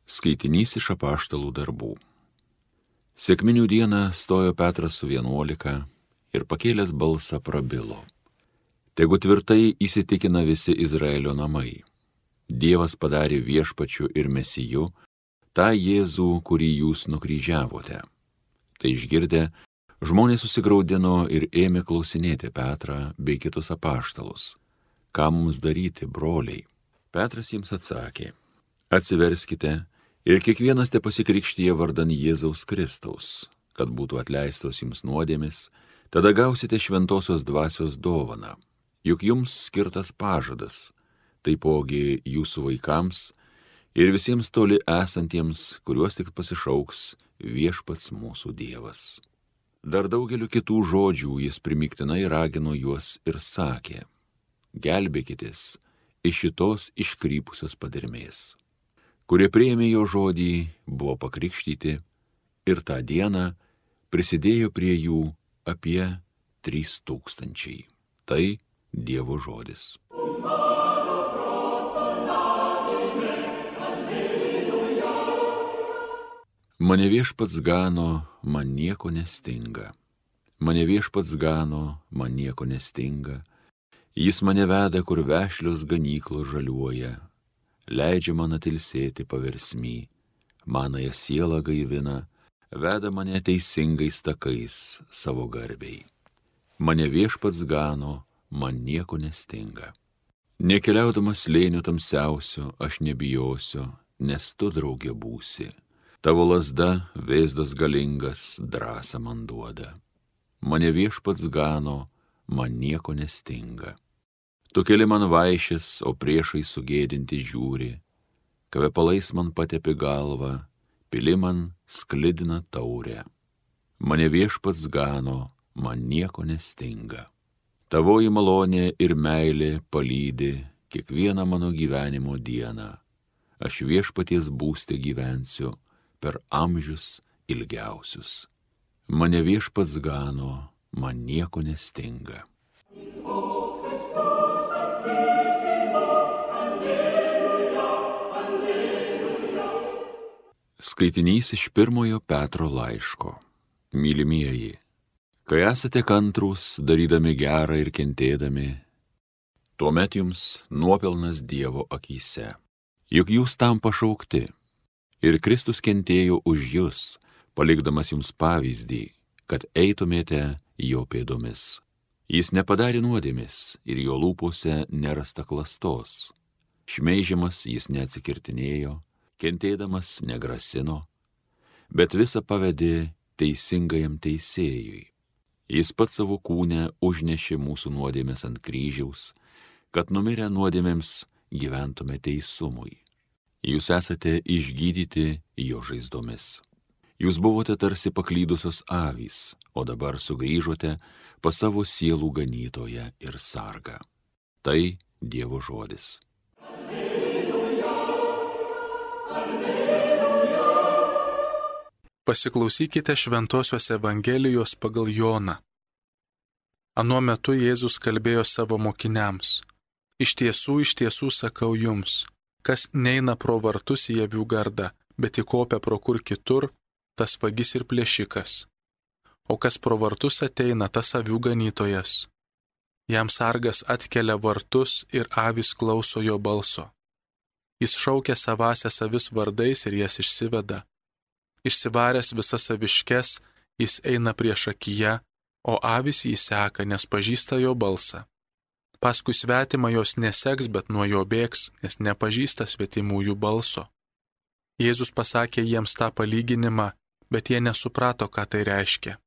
Skaitinys iš Apaštalų darbų. Sekminių dieną stojo Petras su 11 ir pakėlęs balsą prabilo. Tegu tvirtai įsitikina visi Izraelio namai. Dievas padarė viešpačiu ir mesiju tą Jėzų, kurį jūs nukryžiavote. Tai išgirdę, žmonės susigraudino ir ėmė klausinėti Petrą bei kitus apaštalus. Ką mums daryti, broliai? Petras jiems atsakė: atsiverskite ir kiekvienas te pasikrikštyje vardan Jėzaus Kristaus, kad būtų atleistos jums nuodėmės, tada gausite šventosios dvasios dovaną. Juk jums skirtas pažadas, taipogi jūsų vaikams ir visiems toli esantiems, kuriuos tik pasišauks viešpats mūsų Dievas. Dar daugeliu kitų žodžių jis primygtinai ragino juos ir sakė: gelbėkitės iš šitos iškrypusios padermės. Kurie priėmė jo žodį, buvo pakrikštyti ir tą dieną prisidėjo prie jų apie 3000. Tai Dievo žodis. Mane viešpats gano, man nieko nestinga. Mane viešpats gano, man nieko nestinga. Jis mane veda, kur vešlios ganyklos žaliuoja. Leidžia man atilsėti paversmy, manąją sielą gaivina, veda mane teisingais takais savo garbei. Mane viešpats gano, man nieko nestinga. Nekeliaudamas slėniu tamsiausiu, aš nebijosiu, nes tu draugė būsi. Tavo lazda, vėzdas galingas, drąsą man duoda. Mane viešpats gano, man nieko nestinga. Tu keli man vaišes, o priešai sugėdinti žiūri. Kvepalais man patepi galvą, pili man sklidina taurę. Mane viešpats gano, man nieko nestinga. Tavoji malonė ir meilė palydi kiekvieną mano gyvenimo dieną. Aš viešpaties būste gyvensiu per amžius ilgiausius. Mane viešpats gano, man nieko nestinga. Skaitinys iš 1 Petro laiško. Mylimieji, kai esate kantrūs, darydami gerą ir kentėdami, tuomet jums nuopelnas Dievo akyse. Juk jūs tam pašaukti. Ir Kristus kentėjo už jus, palikdamas jums pavyzdį, kad eitumėte jo pėdomis. Jis nepadarė nuodėmės ir jo lūpose nerasta klastos. Šmeižiamas jis neatsikirtinėjo, kentėdamas negrasino, bet visą pavedė teisingajam teisėjui. Jis pats savo kūne užnešė mūsų nuodėmės ant kryžiaus, kad numirę nuodėmėms gyventume teisumui. Jūs esate išgydyti jo žaizdomis. Jūs buvote tarsi paklydusios avys, o dabar sugrįžote pas savo sielų ganytoją ir sargą. Tai Dievo žodis. Pasiklausykite Šventosios Evangelijos pagal Joną. Anuo metu Jėzus kalbėjo savo mokiniams: iš tiesų sakau jums, kas neina pro vartus į avių gardą, bet įkopia pro kur kitur, tas vagis ir plėšikas. O kas pro vartus ateina, tas avių ganytojas. Jam sargas atkelia vartus ir avys klauso jo balso. Jis šaukia savąsias avis vardais ir jas išsiveda. Išsivaręs visas aviškes, jis eina priešakyje, o avys jį seka, nes pažįsta jo balsą. Paskui svetimą jos neseks, bet nuo jo bėgs, nes nepažįsta svetimųjų balso. Jėzus pasakė jiems tą palyginimą, bet jie nesuprato, ką tai reiškia.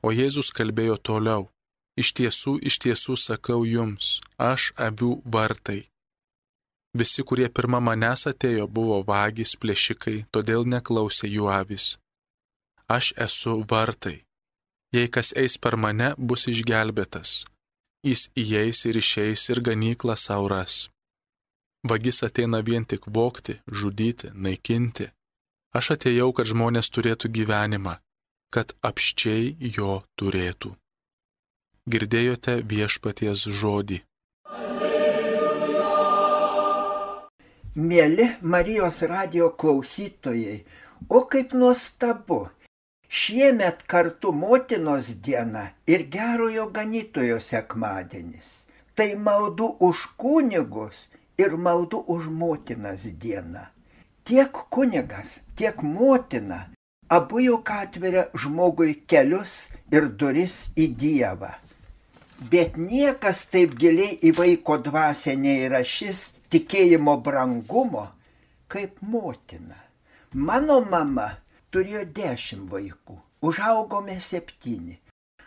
O Jėzus kalbėjo toliau: iš tiesų sakau jums, aš avių vartai. Visi, kurie pirma manęs atėjo, buvo vagys, plėšikai, todėl neklausė jų avys. Aš esu vartai. Jei kas eis per mane, bus išgelbėtas. Jis įeis ir išeis ir ganyklą sau ras. Vagis ateina vien tik vogti, žudyti, naikinti. Aš atėjau, kad žmonės turėtų gyvenimą, kad apsčiai jo turėtų. Girdėjote viešpaties žodį. Mėly Marijos radijo klausytojai, o kaip nuostabu, šiemet kartu motinos diena ir gerojo ganytojo sekmadienis. Tai maldų už kunigus ir maldų už motinas diena. Tiek kunigas, tiek motina abu juk atveria žmogui kelius ir duris į Dievą. Bet niekas taip giliai į vaiko dvasią neįrašys tikėjimo brangumo kaip motina. Mano mama turėjo 10 vaikų, užaugome 7.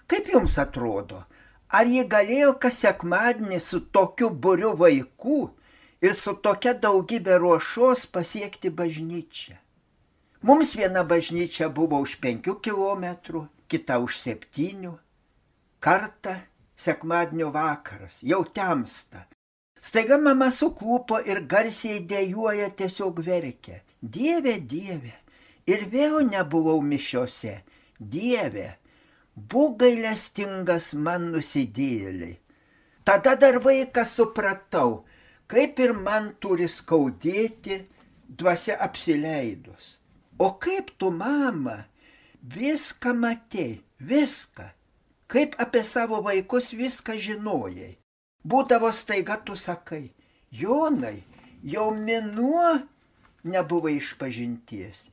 Kaip jums atrodo, ar ji galėjo kas sekmadienį su tokiu būriu vaikų ir su tokia daugybė ruošos pasiekti bažnyčią? Mums viena bažnyčia buvo už 5 kilometrų, kita už 7. Kartą sekmadienio vakaras, jau temsta. Staiga mama suklupo ir garsiai dejuoja, tiesiog verkia. Dieve, Dieve. Ir vėl nebuvau mišiose. Dieve, būk gailestingas man nusidėjėliai. Tada dar vaikas supratau, kaip ir man turi skaudėti dvasia apsileidus. O kaip tu, mama, viską matei, viską. Kaip apie savo vaikus viską žinojai. Būdavo staiga tu sakai, Jonai, jau mėnuo nebuvai išpažinties.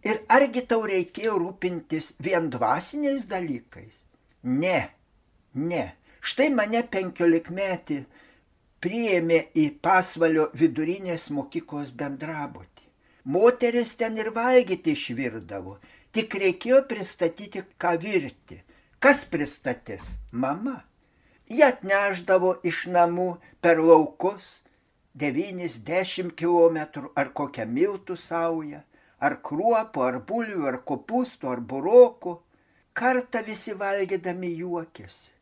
Ir argi tau reikėjo rūpintis vien dvasiniais dalykais? Ne. Štai mane 15-metį priėmė į Pasvalio vidurinės mokyklos bendrabutį. Moteris ten ir valgyti išvirdavo, tik reikėjo pristatyti, ką virti. Kas pristatys? Mama. Jie atneždavo iš namų per laukus 9-10 kilometrų ar kokią miltų saują, ar kruopų, ar bulvių, ar kopūstų, ar burokų. Kartą visi valgydami juokėsi.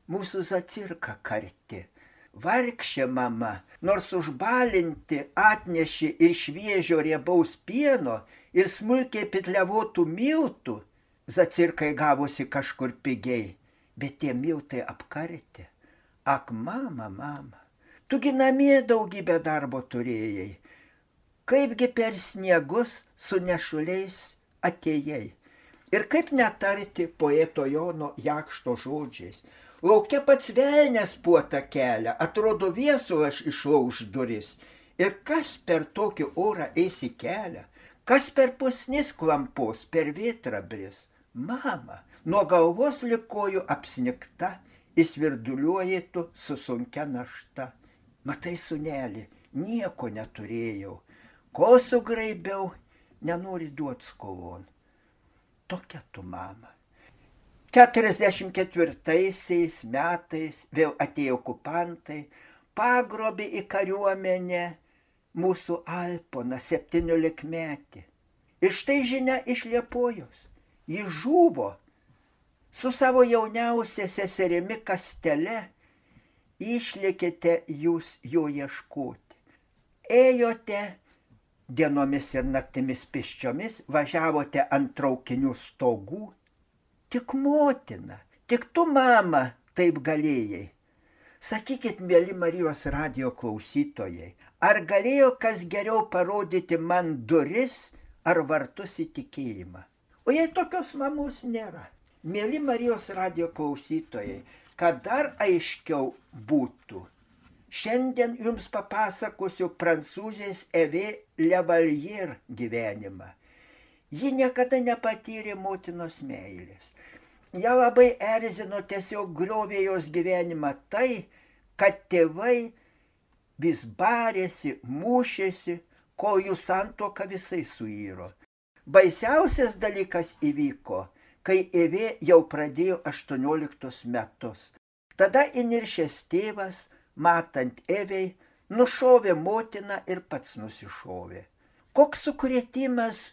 Mūsų zacirka karti. Vargšė mama, nors užbalinti atnešė ir šviežio riebaus pieno ir smulkiai pitliavotų miltų, zacirkai gavosi kažkur pigiai. Bet tie miltai apkarti. Ak, mama, tugi namie daugybę darbo turėjai. Kaipgi per sniegus su nešuliais atėjai. Ir kaip netarti poeto Jono Jakšto žodžiais. Lauke pats velnias puota kelia, atrodo viesulas išlauž duris. Ir kas per tokį orą eis į kelią? Kas per pusnis klampos, per vėtrą bris? Mama, nuo galvos lig kojų apsnigta, įsvirduliuoji tu su sunkia našta. Matai, sūneli, nieko neturėjau, ko sugraibiau, nenori duot skolon. Tokia tu, mama. 44 metais vėl atėjo okupantai, pagrobė į kariuomenę mūsų Alponą 17-metį. Ir štai žinia iš Liepojos. Jis žuvo su savo jauniausia seserimi Kastele. Išlėkėte jūs jo ieškoti. Ėjote dienomis ir naktimis pėsčiomis, važiavote ant traukinių stogų. Tik motina, tik tu, mama, taip galėjai. Sakykit, mėly Marijos radijo klausytojai, ar galėjo kas geriau parodyti man duris ar vartus į tikėjimą? O jei tokios mamos nėra, mėly Marijos radijo klausytojai, kad dar aiškiau būtų, šiandien jums papasakosiu prancūzės Evė Levallier gyvenimą. Ji niekada nepatyrė motinos meilės. Ja labai erzino, tiesiog griovė jos gyvenimą tai, kad tėvai vis barėsi, mušėsi, kol jų santuoka visai suiro. Baisiausias dalykas įvyko, kai Evė jau pradėjo 18 metus. Tada įniršęs tėvas, matant Evei, nušovė motiną ir pats nusišovė. Koks sukrėtimas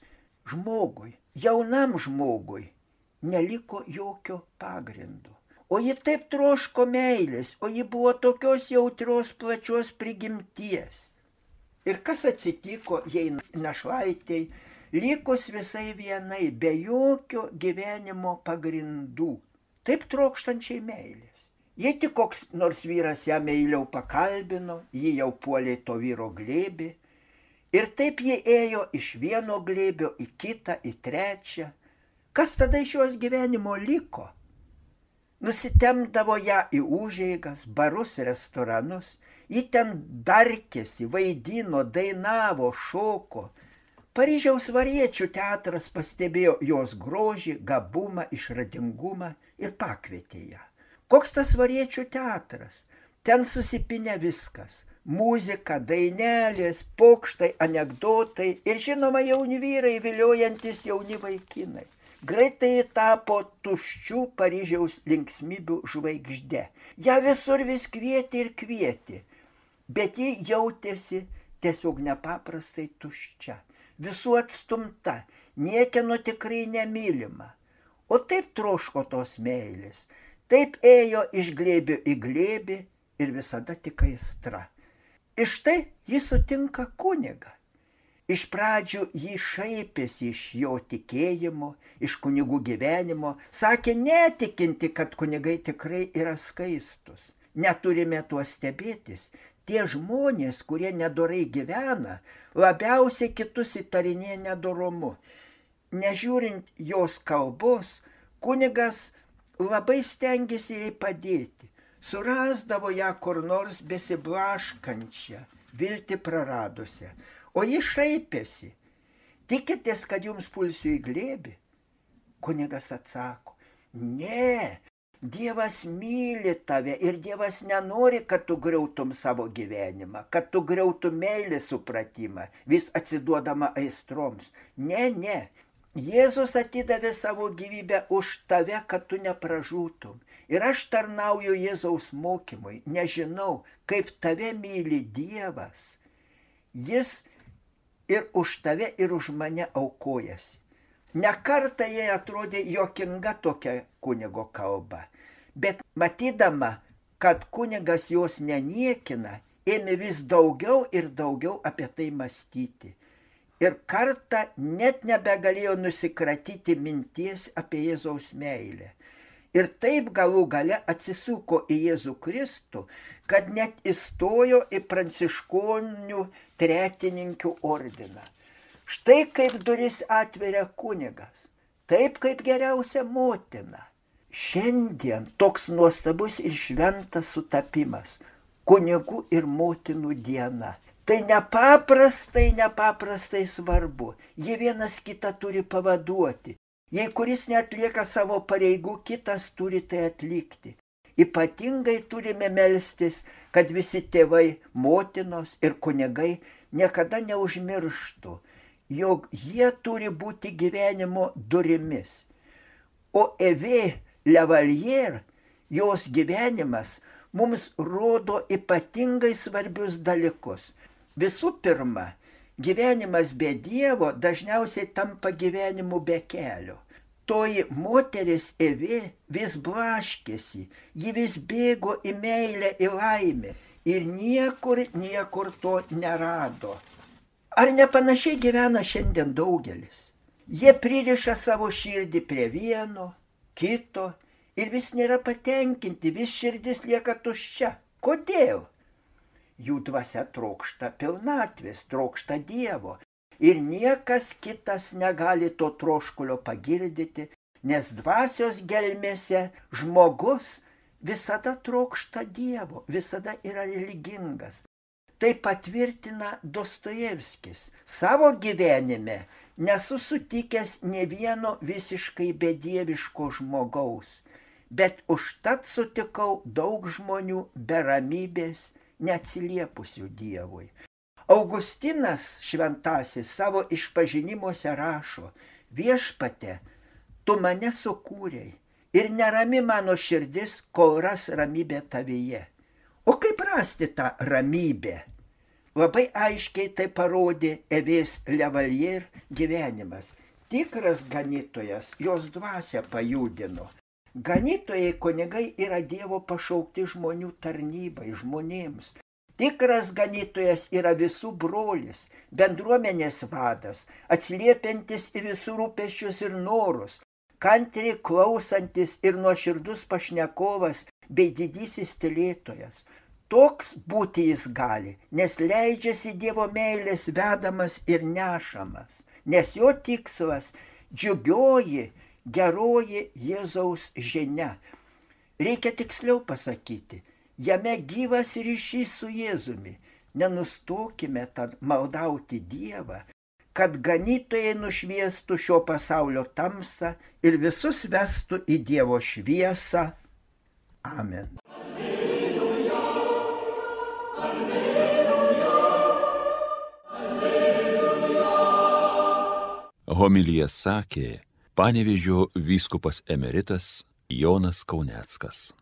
žmogui, jaunam žmogui, neliko jokio pagrindo. O ji taip troško meilės, o ji buvo tokios jautrios, plačios prigimties. Ir kas atsitiko jai našlaitei, likus visai vienai, be jokio gyvenimo pagrindų, taip trokštančiai meilės. Jei tik koks nors vyras ją meiliau pakalbino, ji jau puolė to vyro glėbį, Ir taip ji ėjo iš vieno glėbio į kitą, į trečią. Kas tada iš jos gyvenimo liko? Nusitemdavo ją į užeigas, barus, restoranus. Ji ten darkėsi, vaidino, dainavo, šoko. Paryžiaus variečių teatras pastebėjo jos grožį, gabumą, išradingumą ir pakvietė ją. Koks tas variečių teatras? Ten susipinę viskas. Muzika, dainelės, pokštai, anekdotai ir žinoma jauni vyrai viliojantis jauni vaikinai. Greitai tapo tuščių Paryžiaus linksmybių žvaigžde. Ja visur vis kvietė ir kvietė, bet ji jautėsi tiesiog nepaprastai tuščia, visų atstumta, niekieno tikrai nemylima. O taip troško tos meilės, taip ėjo iš glėbio į glėbį ir visada tik aistra. Iš tai jis sutinka kunigą. Iš pradžių jį šaipėsi iš jo tikėjimo, iš kunigų gyvenimo, sakė netikinti, kad kunigai tikrai yra skaistus. Neturime tuo stebėtis. Tie žmonės, kurie nedorai gyvena, labiausiai kitus įtarinėja nedorumu. Nežiūrint jos kalbos, kunigas labai stengiasi jai padėti. Surasdavo ją kur nors besiblaškančią, viltį praradusią. O ji šaipėsi. Tikitės, kad jums pulsiu į glėbį? Kunigas atsako, ne, Dievas myli tave ir Dievas nenori, kad tu griautum savo gyvenimą, kad tu griautum meilės supratimą, vis atsiduodama aistroms. Ne. Jėzus atidavė savo gyvybę už tave, kad tu nepražūtum. Ir aš tarnauju Jėzaus mokymui, nežinau, kaip tave myli Dievas. Jis ir už tave, ir už mane aukojasi. Ne kartą jai atrodė juokinga tokia kunigo kalba, bet matydama, kad kunigas jos neniekina, ėmė vis daugiau ir daugiau apie tai mąstyti. Ir kartą net nebegalėjo nusikratyti minties apie Jėzaus meilę. Ir taip galų gale atsisuko į Jėzų Kristų, kad net įstojo į pranciškonių tretininkių ordiną. Štai kaip duris atveria kunigas, taip kaip geriausia motina. Šiandien toks nuostabus ir šventas sutapimas – kunigų ir motinų diena. Tai nepaprastai svarbu. Jie vienas kitą turi pavaduoti. Jei kuris neatlieka savo pareigų, kitas turi tai atlikti. Ypatingai turime melstis, kad visi tėvai, motinos ir kunigai niekada neužmirštų, jog jie turi būti gyvenimo durimis. O Evė Lavalier, jos gyvenimas, mums rodo ypatingai svarbius dalykus. Visų pirma, gyvenimas be Dievo dažniausiai tampa gyvenimu be kelio. Toji moteris Evė vis blaškėsi, ji vis bėgo į meilę, į laimę ir niekur to nerado. Ar nepanašiai gyvena šiandien daugelis? Jie pririša savo širdį prie vieno, kito ir vis nėra patenkinti, vis širdis lieka tuščia. Kodėl? Jų dvasia trokšta pilnatvės, trokšta Dievo. Ir niekas kitas negali to troškulio pagirdyti, nes dvasios gelmėse žmogus visada trokšta Dievo, visada yra religingas. Tai patvirtina Dostojevskis. Savo gyvenime nesu sutikęs ne vieno visiškai bedieviško žmogaus, bet užtat sutikau daug žmonių be ramybės, neatsiliepusių Dievui. Augustinas šventasis savo išpažinimuose rašo, viešpate, tu mane sukūrei ir nerami mano širdis, kol ras ramybę tavyje. O kaip rasti tą ramybę? Labai aiškiai tai parodė Evės Lavalier gyvenimas. Tikras ganytojas jos dvasią pajudino. Ganytojai kunigai yra Dievo pašaukti žmonių tarnybai, žmonėms. Tikras ganytojas yra visų brolis, bendruomenės vadas, atsiliepiantis į visų rūpesčius ir norus, kantriai klausantis ir nuoširdus pašnekovas bei didysis tylėtojas. toks būti jis gali, nes leidžiasi Dievo meilės vedamas ir nešamas, nes jo tikslas džiugioji, geroji Jėzaus žinia. Reikia tiksliau pasakyti, jame gyvas ryšys su Jėzumi. Nenustokime tad maldauti Dievą, kad ganytojai nušviestų šio pasaulio tamsą ir visus vestų į Dievo šviesą. Amen. Alleluja, alleluja, alleluja. Homiliją sakė Panevėžio vyskupas emeritas Jonas Kauneckas.